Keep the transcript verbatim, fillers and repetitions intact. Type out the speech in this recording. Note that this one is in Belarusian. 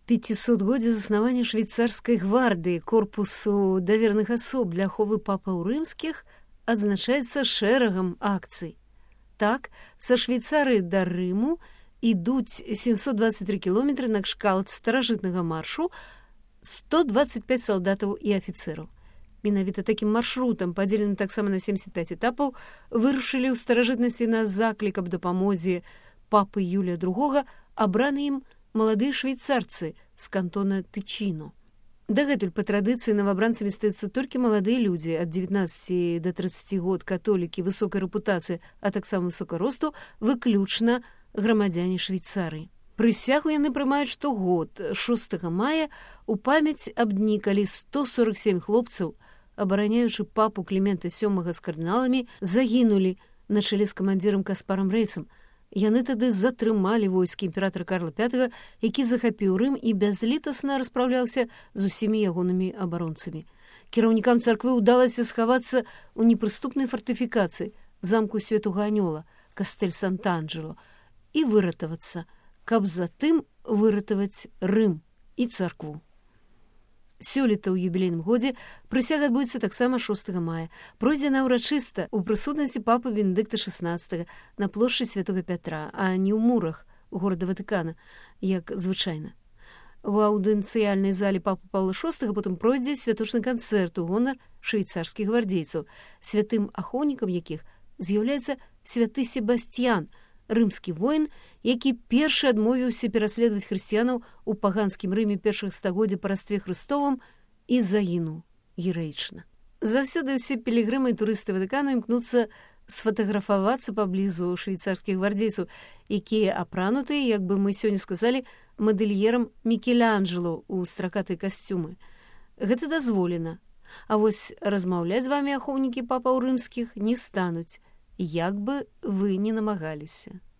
пяцісотгоддзе заснавання швейцарскай гвардыі, корпусу даверных асоб для аховы папаў рымскіх, адзначаецца шэрагам акцый. Так, са Швейцарыі да Рыму ідуць сямсот дваццаць тры кіламетры на кшталт старажытнага маршу сто дваццаць пяць салдатаў і афіцэраў. Менавіта такім маршрутам, падзеленым таксама на семдзесят пяць этапаў, вырушылі ў старажытнасці на заклік аб дапамозе папы Юлія другога абраны ім маладыя швейцарцы з кантона Тычіно. Дагэтуль па традыцыі новабранцамі стаюцца толькі маладыя людзі ад дзевятнаццаці да трыццаці год, католікі высокай рэпутацыі, а таксама высокага росту, выключна грамадзяне Швейцарыі. Прысягу яны прымаюць штогод шостага мая у памяць аб дні, калі сто сорак сем хлопцаў, абараняючы папу Клімента сёмага з кардыналамі, загінулі на чале з камандзірам Каспарам Рэйсам. Яны тады затрымалі войскі імператара Карла пятага, які захапіў Рым і бязлітасна распраўляўся з усімі ягонымі абаронцамі. Кіраўнікам царквы ўдалася схавацца ў непрыступнай фартыфікацыі замку Святога Анёла, кастэль Санта-Анджело, і выратавацца, каб затым выратаваць Рым і царкву. Сёлета ў юбілейным годзе прысяга адбудзецца таксама шостага мая. Пройдзе она ўрачыста ў прысутнасці папы Бенедыкта шаснаццатага на плошчы Святога Пятра, а не ў мурах горада Ватыкана, як звычайна. У аўдыенцыяльнай зале папы Паўла шостага потым пройдзе святочны канцэрт у гонар швейцарскіх гвардзейцаў, святым ахоўнікам якіх з'яўляецца святы Себасцьян, рымскі воін, які першы адмовіўся пераследаваць хрысціянаў у паганскім Рыме першых стагоддзя па растве Хрыстовым і загінуў гераічна. Заўсёды ўсе пілігрымы і турысты Ватыкану імкнуцца сфатаграфавацца паблізу швейцарскіх гвардзейцаў, якія апранутыя, як бы мы сёння сказалі, мадэльерам Мікеланджело ў стракатыя касцюмы. Гэта дазволена. А вось размаўляць з вамі ахоўнікі папаў рымскіх не стануць, як бы вы не намагаліся.